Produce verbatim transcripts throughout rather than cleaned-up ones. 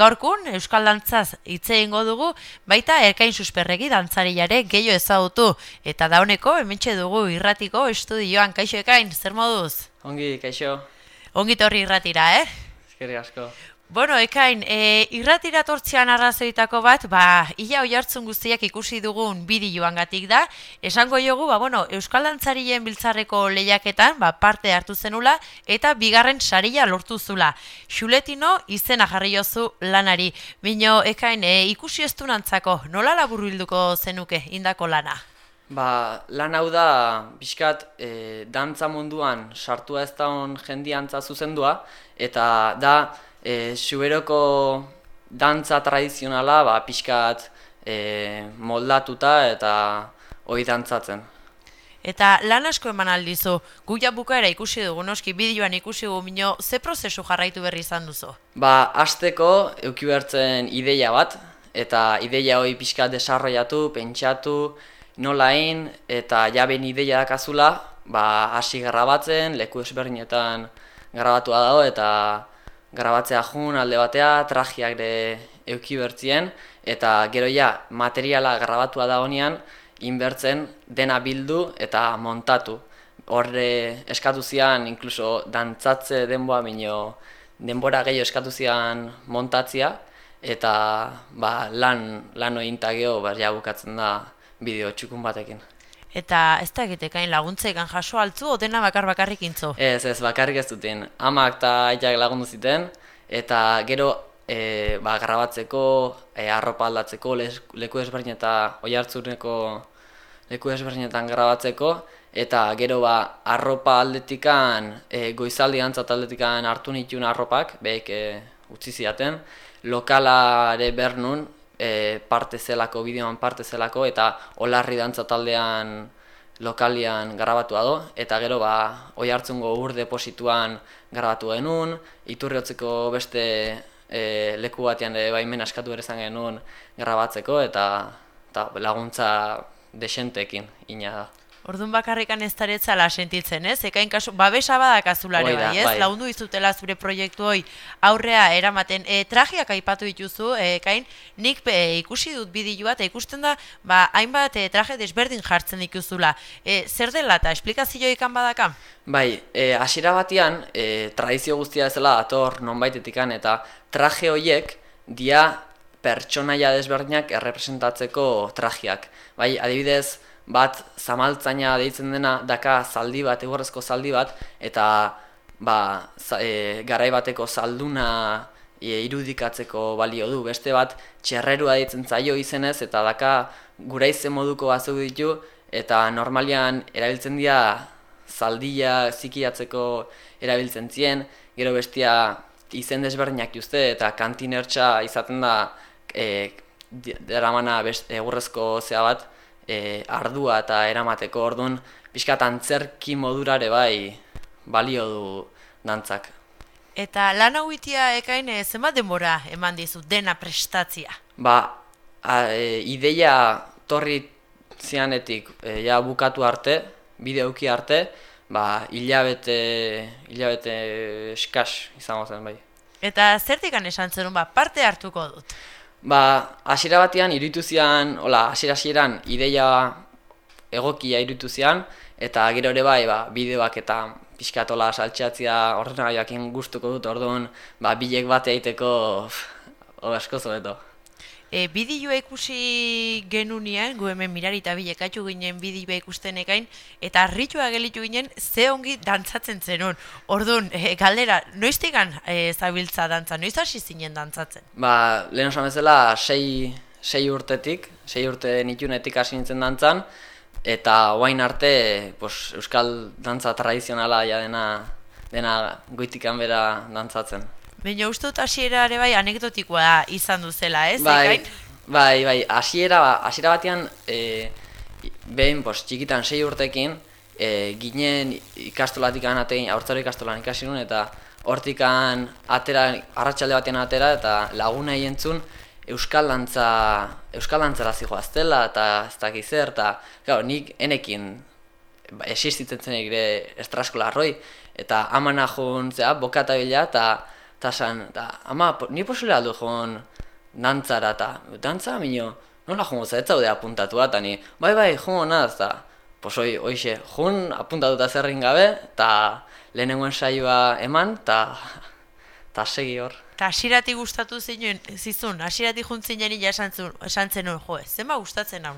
Gaurkun, Euskal Dantzaz hitz egingo dugu, baita Erkain Susperregi dantzariare gehiago ezagutu. Eta dauneko, hementxe dugu irratiko estudioan. Kaixo Ekain, zer moduz? Ongi, kaixo. Ongi torri irratira, eh? Eskerrik asko. Bueno, Ekain, e, irratira tortzean arrazoitako bat, ba, ia oihartzun guztiak ikusi dugun bideoangatik da. Esango jogu, ba, bueno, Euskal Dantzarien biltzarreko lehiaketan, ba, parte hartu zenula, eta bigarren saria lortu zula. Xuletino izena jarri jozu lanari. Bino, Ekain, e, ikusi ez du nantzako, nola laburbilduko zenuke indako lana? Ba, lan hau da, pixkat, e, dantza munduan sartua ez daun jendiantza zuzendua, eta da, E, Xuberoko dantza tradizionala ba, pixkat e, moldatuta eta hori dantzatzen. Eta lan asko eman aldizu, guia bukaera ikusi dugu, noski bideoan ikusi dugu, minio, ze prozesu jarraitu berri izan duzu? Ba, hasteko euki bertzen ideia bat, eta ideia hori pixkat desarroiatu, pentsatu, nola egin, eta jaben ideia dakazula, ba, hasi grabatzen, leku ezberdinetan grabatua dago, eta grabatzea jun alde batea, trajiak de euki bertzien, eta gero ja materiala grabatua da honean, inbertzen dena bildu eta montatu. Horre eskatu zian, inkluso dantzatze denboa minio, denbora gehiago eskatu zian montatzia, eta ba, lan, lan ointa geho ba, ja bukatzen da bideo txukun batekin. Eta ez da egitekain laguntzekan jaso altzu, o dena bakar bakarrik intzo? Ez, ez, bakarrik ez duten. Amak eta aitak lagundu ziten, eta gero e, ba, grabatzeko, e, arropa aldatzeko, les, leku ezberdin eta oihartzuneko leku ezberdinetan grabatzeko, eta gero ba, arropa aldetikan, e, goizaldi antzat aldetikan hartu nituen arropak, behik e, utzi ziaten, lokalare bernun, E, parte zelako, bideoan parte zelako, eta Olarri dantza taldean lokalian grabatua do, eta gero ba, Oihartzungo ur deposituan grabatu genuen, Iturriotzeko beste e, leku batean e, baimen askatu ere izan genuen grabatzeko, eta, eta laguntza desentekin ina da. Orduan bakarrikan ez daretzala sentitzen, ez? Ekain kasu, babesa badakazulare bai, ez? Bai. Lagundu izutela zure proiektu hoi aurrea eramaten. E, trajiak aipatu dituzu, e, Ekain, nik e, ikusi dut bideoa eta ikusten da, ba, hainbat e, traje desberdin jartzen dituzula. E, zer dela eta esplikazio ikan badaka? Bai, e, hasiera batean, e, tradizio guztia ezela ator nonbaitetikan, eta traje horiek dia pertsonaia desberdinak errepresentatzeko trajiak. Bai, adibidez, bat zamaltzaina deitzen dena daka zaldi bat, egorrezko zaldi bat, eta ba, e, garai bateko zalduna e, irudikatzeko balio du. Beste bat txerrerua deitzen zaio izenez, eta daka guraize moduko batzuk ditu, eta normalian erabiltzen dira zaldia zikiatzeko erabiltzen zien, gero bestia izen desberdinak juzte, eta kantinertxa izaten da e, deramana egurrezko zea bat, E, ardua eta eramateko, orduan pixkat antzerki modurare bai balio du dantzak. Eta lan hau itia Ekain e, zenbat denbora eman dizu dena prestatzia? Ba, a, e, ideia torri zianetik e, ja bukatu arte, bideuki arte, ba, hilabete, hilabete eskas izango zen bai. Eta zertikan esan zenun, ba, parte hartuko dut? Ba, hasiera batean iruditu zian, hola, hasiera-hasieran ideia egokia iruditu zian, eta gero ere bai, ba, bideoak eta pixkatola saltxeatzia ordenagaiakin gustuko dut, orduan, ba, bilek bate egiteko asko zobeto. E, bideoa ikusi genunian, gu hemen mirari eta bilekatu ginen bideoa ikusten Ekain, eta harritua gelitu ginen ze ongi dantzatzen zenun. Orduan, e, galdera, noiztikan e, zabiltza dantza, noiz hasi zinen dantzatzen? Ba, lehen osan bezala, sei, sei urtetik, sei urte nitunetik hasi nintzen dantzan, eta oain arte pues, euskal dantza tradizionala ja dena, dena goitikan bera dantzatzen. Baina uste dut hasiera ere bai anekdotikoa izan duzela, ez? Bai, bai, bai, hasiera hasiera batean, e, behin, pos, txikitan sei urtekin, e, ginen ikastolatikan atein, haurtzaro ikastolan ikasi nuen, eta hortikan atera, arratsalde batean atera, eta laguna entzun euskal dantza, euskal dantzara zijoaztela, eta ez dakiz zer, eta, claro, nik enekin existitzen zen ere estraskola arroi, eta amana joan zea, bokata bila, eta eta san, da, ama, po, ni posible aldu joan dantzara, eta dantza, minio, nola joan goza, ez zaude apuntatua, eta ni, bai, bai, joan naz, eta, pos, oi, oixe, joan apuntatuta zerrin gabe, eta lehenengoen saioa eman, eta, eta segi hor. Eta asiratik gustatu zinen, zizun, asiratik juntzinen ja esan zenuen, jo, zenba gustatzen hau?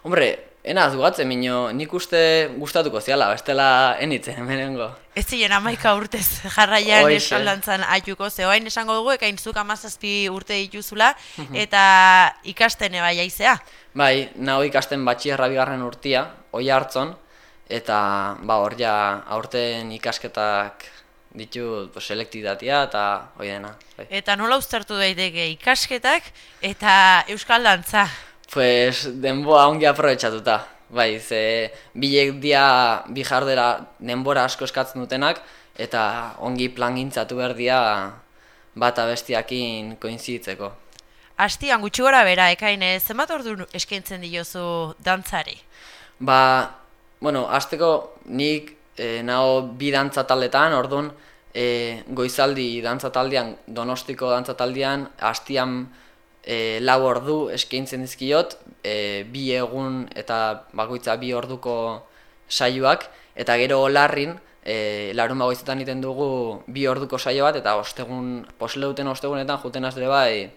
Hombre, enaz gugatzen minio, nik uste gustatuko ziala, bestela enitzen hemenengo. Ez ziren amaika urtez jarraian Hoixe. eskaldantzan aituko, ze orain esango dugu, ekain zuk amazazpi urte dituzula, eta ikasten eba jaizea. Bai, naho ikasten batxierra bigarren urtia, oi hartzon, eta ba hor ja aurten ikasketak ditut pues, selektidatia eta hoi dena. Bai. Eta nola uztartu daiteke ikasketak eta euskal dantza? Pues denboa ongi aprobetxatuta. Bai, ze bilek dia bi jardera denbora asko eskatzen dutenak eta ongi plangintzatu behar dia bata bestiakin koinzitzeko. Astian gutxi gora bera, ekain, zenbat ordu eskaintzen diozu dantzari? Ba, bueno, hasteko nik e, naho bi dantza taldetan, orduan e, goizaldi dantza taldean, Donostiko dantza taldean, hastian e, lau ordu eskaintzen dizkiot, e, bi egun eta bakoitza bi orduko saioak, eta gero Olarrin, e, larun bagoizetan iten dugu bi orduko saio bat, eta ostegun, posle duten ostegunetan juten azle bai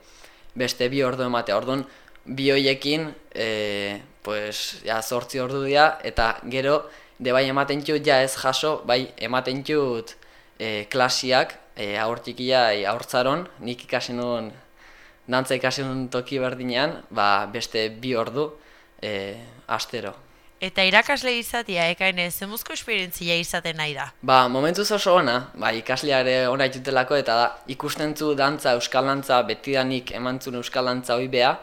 beste bi ordu ematea. Orduan, bi hoiekin, e, pues, ja, zortzi ordu dira, eta gero, de bai ematen txut, ja ez jaso, bai ematen txut e, klasiak, e, aur txikia, e, aurtzaron, nik ikasi nuen, dantza ikasi nuen toki berdinean, ba, beste bi ordu, e, astero. Eta irakasle izatea, ekain, zenbuzko esperientzia izaten nahi da? Ba, momentuz oso ona, ba, ikasleare ona itutelako, eta da, ikusten zu dantza, euskal dantza, betidanik emantzun euskal dantza hoi beha,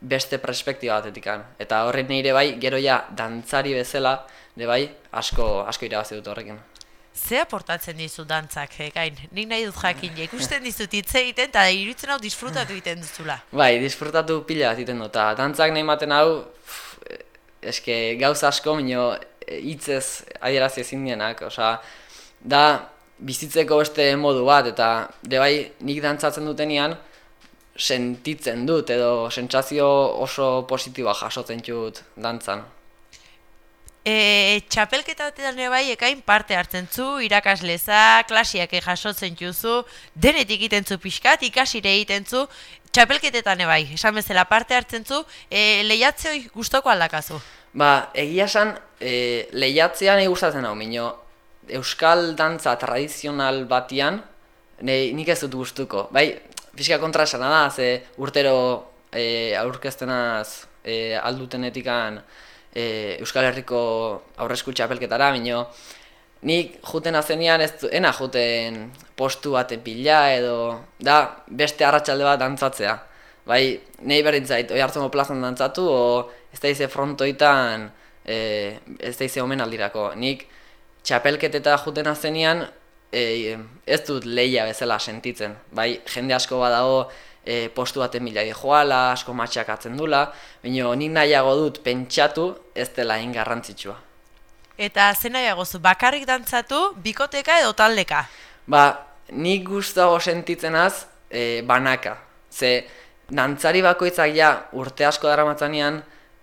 beste perspektiba batetikan. Eta horren nire bai, gero ja, dantzari bezala, de bai, asko, asko irabazi dut horrekin. Ze aportatzen dizu dantzak, ekain? Nik nahi dut jakin, ja, ikusten dizut hitz egiten, eta iruditzen hau disfrutatu egiten duzula. Bai, disfrutatu pila bat egiten dut, eta dantzak nahi maten hau, pff, eske gauza asko, minio hitzez adierazi ezin dienak, osea, da bizitzeko beste modu bat, eta de bai, nik dantzatzen dutenean, sentitzen dut, edo sentsazio oso positiboa jasotzen dut dantzan. E, txapelketa batetan ere bai, ekain parte hartzen zu, irakasleza, klasiak jasotzen juzu, denetik egiten zu pixkat, ikasire egiten zu, txapelketetan ere bai, esan bezala parte hartzen zu, e, lehiatzeoi gustoko aldakazu? Ba, egia esan, e, lehiatzea nahi gustatzen hau, minio, euskal dantza tradizional batian, nahi, nik ez dut gustuko. Bai, pixka kontra esana da, ze urtero e, aurkeztenaz e, aldutenetikan e, Euskal Herriko aurresku txapelketara, minio, nik juten azenian ez du, ena juten postu baten pila edo, da, beste arratsalde bat dantzatzea. Bai, nahi berdin zait, oi hartzungo plazan dantzatu, o ez da ize frontoitan, e, ez da ize omenaldirako. Nik txapelketeta juten azenian, e, ez dut lehia bezala sentitzen. Bai, jende asko badago e, postu baten bila joala, asko matxakatzen dula, baina nik nahiago dut pentsatu ez dela hain garrantzitsua. Eta zen nahiago zu, bakarrik dantzatu, bikoteka edo taldeka? Ba, nik gustago sentitzenaz e, banaka. Ze, dantzari bakoitzak ja urte asko daramatzanean,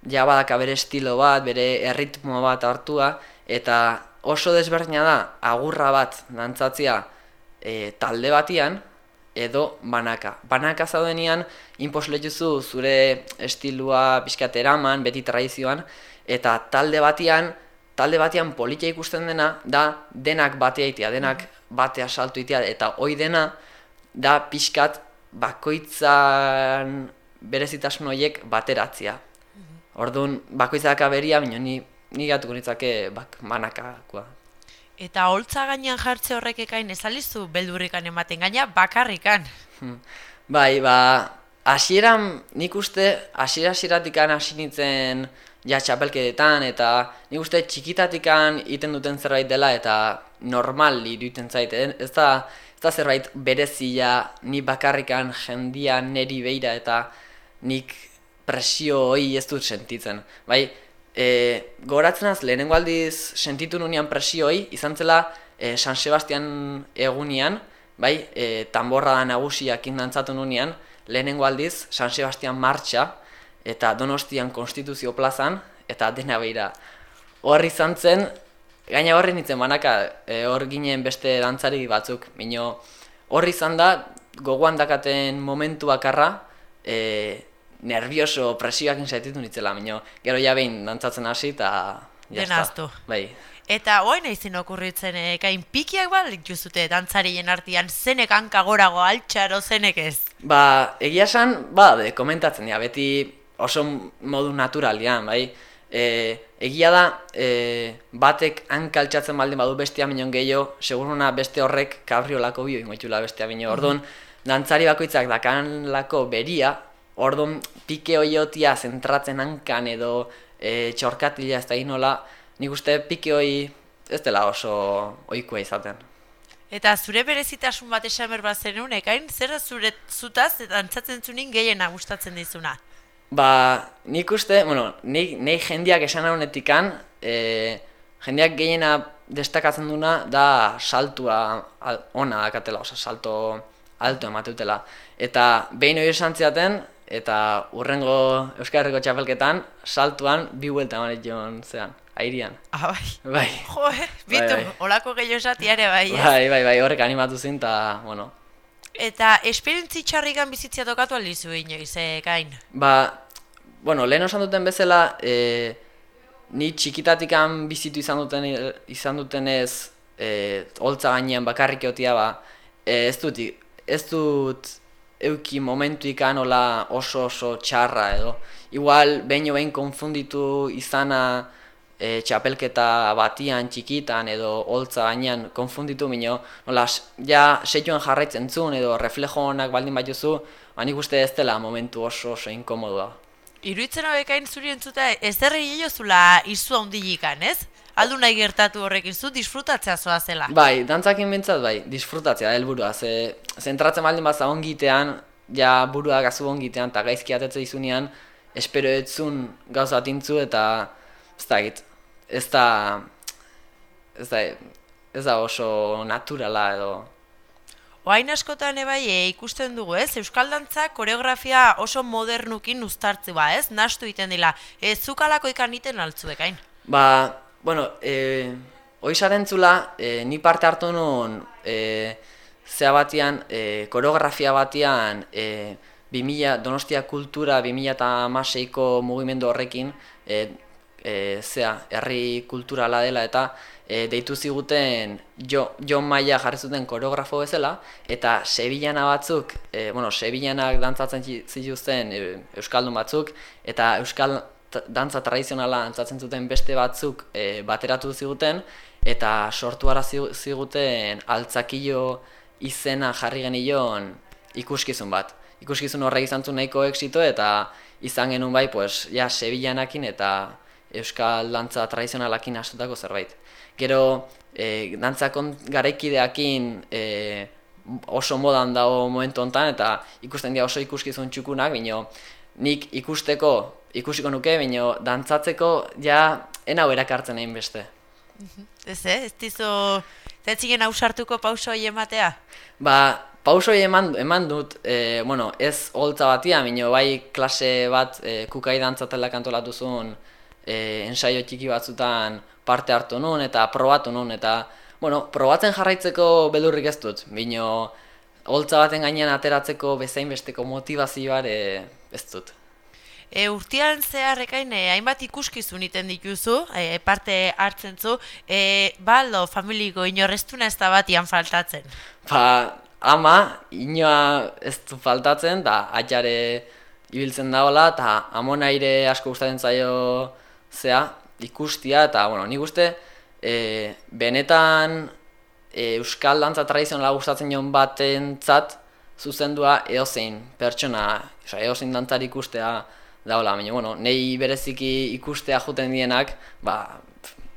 ja badaka bere estilo bat, bere erritmo bat hartua, eta oso desberdina da agurra bat dantzatzea e, talde batian edo banaka. Banaka zaudenean inposletuzu zure estilua pixkat eraman, beti tradizioan, eta talde batian, talde batian politia ikusten dena da denak batea itea, denak batea saltu itea, eta hoi dena da pixkat bakoitzan berezitasun horiek bateratzea. Orduan, bakoitzak aberia, baina ni, ni gatuko nitzake bak, banakakoa. Eta holtza gainean jartze horrek ekain ezalizu beldurrikan ematen gaina bakarrikan. Bai, ba, hasieran nik uste, hasiera-hasieratikan hasi nintzen ja txapelketetan, eta nik uste txikitatikan iten duten zerbait dela, eta normal iruditzen zait, ez da, ez da zerbait berezia ni bakarrikan jendia neri beira, eta nik presio hori ez dut sentitzen. Bai, e, goratzen az, lehenengo aldiz sentitu nunean presio hori, izan zela e, San Sebastian egunian, bai, e, tamborra da nagusiakin dantzatu nunean, lehenengo aldiz, San Sebastian martxa, eta Donostian Konstituzio plazan, eta dena behira. Hor izan zen, gaina horri nintzen banaka, e, hor ginen beste dantzari batzuk, mino hor izan da, gogoan dakaten momentu bakarra, e, nervioso, presioak insaititu nitzela, mino gero ja behin dantzatzen hasi, eta Denaztu. Bai. Eta oain aizin okurritzen, ekain pikiak bal dituzute dantzarien artean, zenek hanka gorago altxaro, zenek ez? Ba, egia esan, ba, de, komentatzen dira, beti oso modu naturalian, bai? E, egia da, e, batek hanka altxatzen baldin badu bestia minon gehiago, seguruna beste horrek kabriolako bio ingoitula bestia bino. Orduan, dantzari bakoitzak dakanlako beria, orduan pike hoiotia zentratzen hankan edo e, txorkatila ez da inola, nik uste pike hoi ez dela oso ohikoa izaten. Eta zure berezitasun bat esan behar bat zenun, ekain, zer zure zutaz eta dantzatzen zunin gehiena gustatzen dizuna? Ba, nik uste, bueno, nik, nik jendiak esan honetikan, e, jendiak gehiena destakatzen duna da saltua al, ona dakatela, oza, salto alto emateutela. Eta behin hori esan ziaten, eta urrengo Euskal Herriko txapelketan, saltuan bi huelta emanet joan zean, airian. Ah, bai. Bai. Jo, eh, bitu, Bai, bai. olako gehiago esatiare bai, ez? Bai, bai, bai, horrek animatu zin, eta, bueno. Eta esperientzi txarrikan bizitzia tokatu aldizu inoiz, ekain? Ba, bueno, lehen osan duten bezala, e, ni txikitatikan bizitu izan duten izan dutenez, e, holtza gainean bakarrik egotia ba, e, ez dut, ez dut euki momentu ikan hola oso oso txarra edo. Igual, behin jo behin konfunditu izana e, txapelketa batian, txikitan edo holtza gainean konfunditu mino, nola, ja seioan jarraitzen zuen edo reflejo honak baldin bat jozu, ba, nik uste ez dela momentu oso oso inkomodua. Iruitzen hobekain zuri entzuta, ez derri jozula izu handilikan, ez? Aldu nahi gertatu horrekin zu, disfrutatzea zoa zela. Bai, dantzakin bintzat, bai, disfrutatzea, helburua. Ze, zentratzen baldin baza ongitean, ja burua gazu ongitean, eta gaizki atetze izunean, espero etzun gauza atintzu, eta ez da egit, ez da, ez da, ez da oso naturala edo. Oain askotan ebai e, ikusten dugu, ez? Euskal dantza koreografia oso modernukin uztartzi ba, ez? Nastu iten dila. Ez zukalako ikan iten altzuekain? Ba, bueno, e, oizaren zula, e, ni parte hartu nuen e, zea batian, e, koreografia batian, e, bi mila, Donostia Kultura bi mila hamaseiko mugimendu horrekin, e, e, zea, herri kulturala dela eta e, deitu ziguten jo, Jon Maia jarri zuten koreografo bezala, eta Sevillana batzuk, e, bueno, Sevillanak dantzatzen zituzten e, euskaldun batzuk, eta euskal dantza tradizionala dantzatzen zuten beste batzuk e, bateratu ziguten, eta sortu ara ziguten altzakillo izena jarri genion ikuskizun bat. Ikuskizun horrek izan zuen nahiko exito, eta izan genuen bai, pues, ja, Sevillanakin eta euskal dantza tradizionalakin astutako zerbait. Gero, e, dantzakon garaikideakin e, oso modan dago momentu honetan, eta ikusten dira oso ikuskizun txukunak, bino nik ikusteko, ikusiko nuke, bino dantzatzeko ja enau erakartzen egin beste. Ez, eh? Ez dizu, zetzingen ausartuko pauso hori ematea? Ba, pauso hori eman, eman dut, e, bueno, ez holtza batia, bino bai klase bat e, kukai dantzatela kantolatu zuen, e, ensaio txiki batzutan parte hartu nun eta probatu nun, eta, bueno, probatzen jarraitzeko beldurrik ez dut, bino holtza baten gainean ateratzeko bezain besteko motivazioa ere ez dut. E, urtean zeharrekain e, hainbat ikuskizun iten dituzu, e, parte hartzen zu, e, baldo familiko inorreztuna ez da batian faltatzen? Ba, ama, inoa ez du faltatzen, da atxare ibiltzen daola, eta amona ere asko gustatzen zaio zea, ikustia, eta, bueno, nik uste, e, benetan e, euskal dantza tradizionala gustatzen joan batentzat zuzendua edozein pertsona, oza, edozein dantzari ikustea daola, baina, bueno, nei bereziki ikustea juten dienak, ba,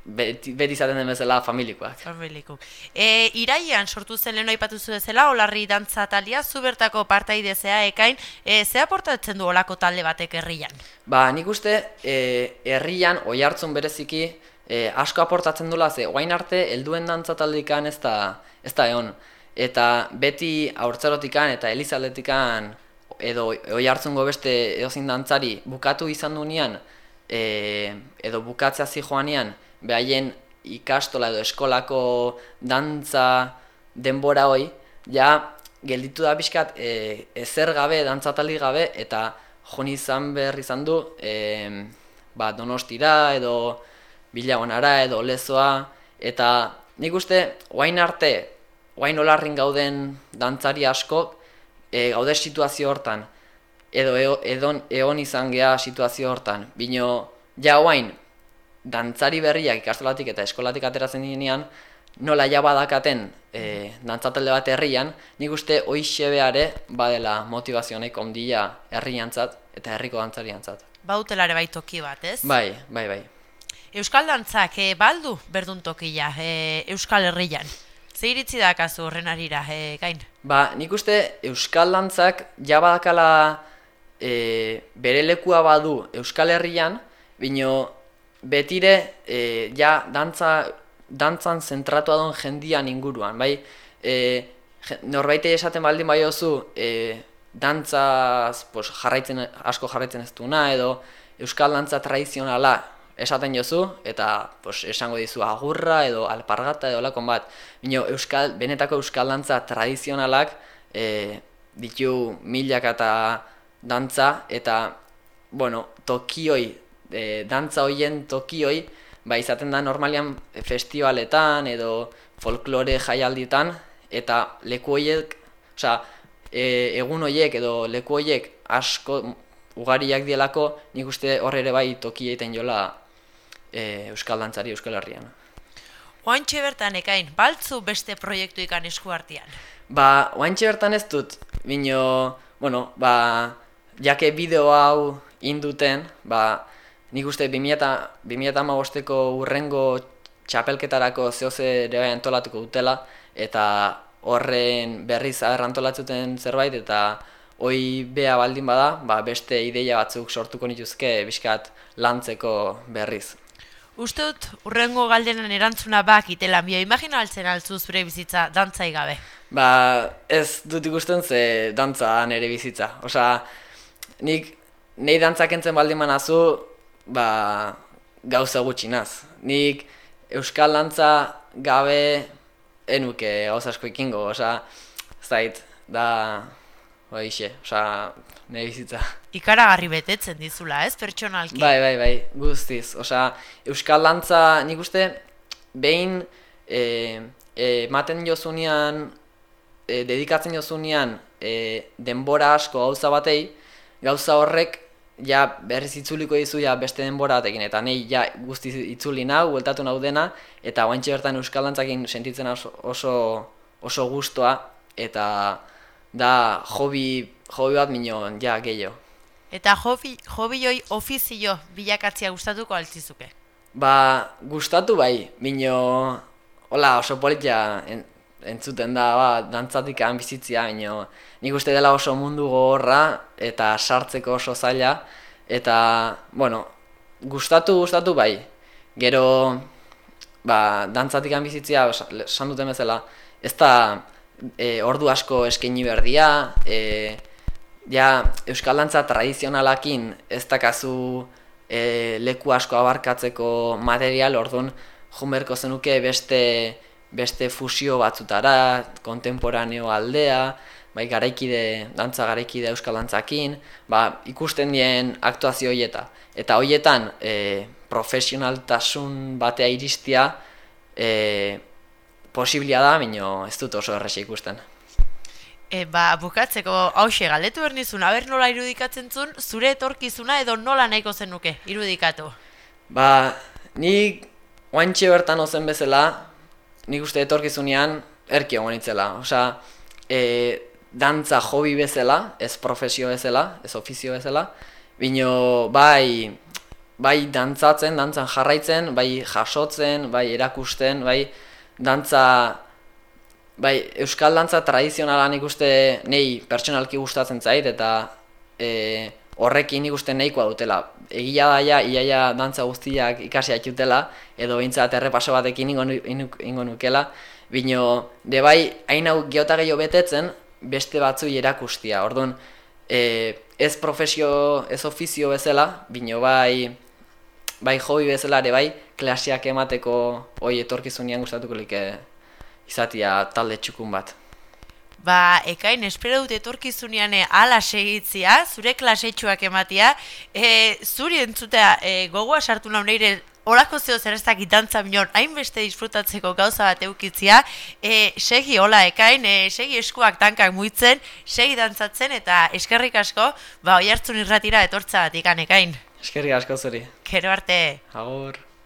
beti, beti izaten den bezala familikoak. Familiko. E, iraian sortu zen lehen aipatu zu bezala, Olarri dantza taldea, zu bertako partaide zea ekain, e, ze aportatzen du olako talde batek herrian? Ba, nik uste, e, herrian, oihartzun bereziki, e, asko aportatzen dula, ze oain arte, helduen dantza taldikan ez da, ez da egon. eta beti haurtzarotikan eta elizaldetikan edo oi hartzungo beste edozein dantzari bukatu izan dunean, e, edo bukatzea zijoanean, behaien ikastola edo eskolako dantza denbora hoi, ja gelditu da pixkat e, ezer gabe, dantzatali gabe, eta joni izan behar izan du, e, ba, Donostira edo Bilagonara edo Lezoa, eta nik uste, oain arte, oain olarrin gauden dantzari asko, e, gaude situazio hortan, edo eo, edon, egon izan gea situazio hortan, bino, ja oain, dantzari berriak ikastolatik eta eskolatik ateratzen dinean, nola ja badakaten e, dantzatalde bat herrian, nik uste hoixe beare badela motivazio nahiko ondia herriantzat eta herriko dantzariantzat. Bautelare bai toki bat, ez? Bai, bai, bai. Euskal dantzak e, baldu berdun tokia e, Euskal Herrian. Ze iritzi dakazu horren arira, e, Gain? Ba, nik uste Euskal dantzak ja badakala e, bere lekua badu Euskal Herrian, bino betire e, ja dantza, dantzan zentratua duen jendian inguruan, bai? E, norbaite esaten baldin bai ozu, e, dantzaz pues, jarraitzen, asko jarraitzen ez duna, edo Euskal dantza tradizionala esaten jozu, eta pues, esango dizu agurra edo alpargata edo lakon bat. Bino, Euskal, benetako Euskal dantza tradizionalak e, ditu milaka eta dantza, eta bueno, tokioi, e, dantza hoien tokioi, ba, izaten da normalian festivaletan edo folklore jaialditan, eta leku hoiek, osea, e, egun hoiek edo leku hoiek asko ugariak dielako, nik uste hor ere bai toki egiten jola e, Euskal dantzari Euskal Herrian. Oantxe bertan ekain, baltzu beste proiektu ikan esku artean? Ba, oantxe bertan ez dut, bino, bueno, ba, jake bideo hau induten, ba, nik uste bi mila hamabosteko urrengo txapelketarako zehoze ere bai antolatuko dutela, eta horren berriz aher antolatzuten zerbait, eta hoi bea baldin bada, ba, beste ideia batzuk sortuko nituzke bizkat lantzeko berriz. Uste dut, urrengo galdenan erantzuna bak itela, bio imagina altzen altzu zure bizitza dantzai gabe? Ba, ez dut ikusten ze dantza nere bizitza. Osa, nik nahi dantzak entzen baldin manazu, ba, gauza gutxinaz. Nik Euskal dantza gabe enuke gauza asko ikingo, osa, zait, da, hoixe, osa, nire bizitza. Ikaragarri betetzen dizula, ez, pertsonalki? Bai, bai, bai, guztiz. Osa, Euskal dantza nik uste behin e, e, ematen jozunean, e, dedikatzen jozunean e, denbora asko gauza batei, gauza horrek ja berriz itzuliko dizu ja beste denbora batekin, eta nahi ja guztiz itzuli nau, bueltatu nau dena, eta oantxe bertan Euskal dantzakin sentitzen oso, oso, oso gustoa, eta da hobi, hobi bat minon, ja, gehiago. Eta hobi, hobioi ofizio bilakatzea gustatuko altzizuke? Ba, gustatu bai, mino, hola, oso politia en, entzuten da, ba, dantzatik bizitzia, mino, nik uste dela oso mundu gogorra, eta sartzeko oso zaila, eta, bueno, gustatu, gustatu bai. Gero, ba, dantzatik bizitzia, esan duten bezala, ez da e, ordu asko eskaini berdia, e, ja, Euskal dantza tradizionalakin ez dakazu e, leku asko abarkatzeko material, orduan junberko zenuke beste, beste fusio batzutara, kontemporaneo aldea, bai garaikide, dantza garaikide Euskal dantzakin, ba, ikusten dien aktuazio hoieta. Eta hoietan e, profesionaltasun batea iristia e, posiblia da, baina ez dut oso erresa ikusten. E, ba, bukatzeko hause galdetu bernizun, aber nola irudikatzen zuen, zure etorkizuna edo nola nahiko zenuke irudikatu? Ba, nik oantxe bertan ozen bezala, nik uste etorkizunean erki egon itzela. Osa, e, dantza hobi bezala, ez profesio bezala, ez ofizio bezala, bino bai, bai dantzatzen, dantzan jarraitzen, bai jasotzen, bai erakusten, bai dantza... Bai, Euskal dantza tradizionala nik uste nei pertsonalki gustatzen zait, eta e, horrekin nik uste nahikoa dutela. Egia daia, iaia dantza guztiak ikasi atxutela, edo behintzat errepaso batekin ingo, ingo nukela, Bino, de bai, hain hau geota gehiago betetzen, beste batzui erakustia. Orduan, e, ez profesio, ez ofizio bezala, bino bai, bai hobi bezala ere bai, klaseak emateko hoi etorkizunean gustatuko like izatia talde txukun bat. Ba, Ekain, espero dut etorkizunean ala segitzia, zure klasetxuak ematia, e, zuri entzutea e, gogoa sartu nahi neire olako zeo zerreztak itantza minon, hainbeste disfrutatzeko gauza bat eukitzia, e, segi hola Ekain, e, segi eskuak tankak muitzen, segi dantzatzen eta eskerrik asko, ba, Oiartzun irratira etortza bat ikan Ekain. Eskerrik asko zuri. Gero arte. Agur.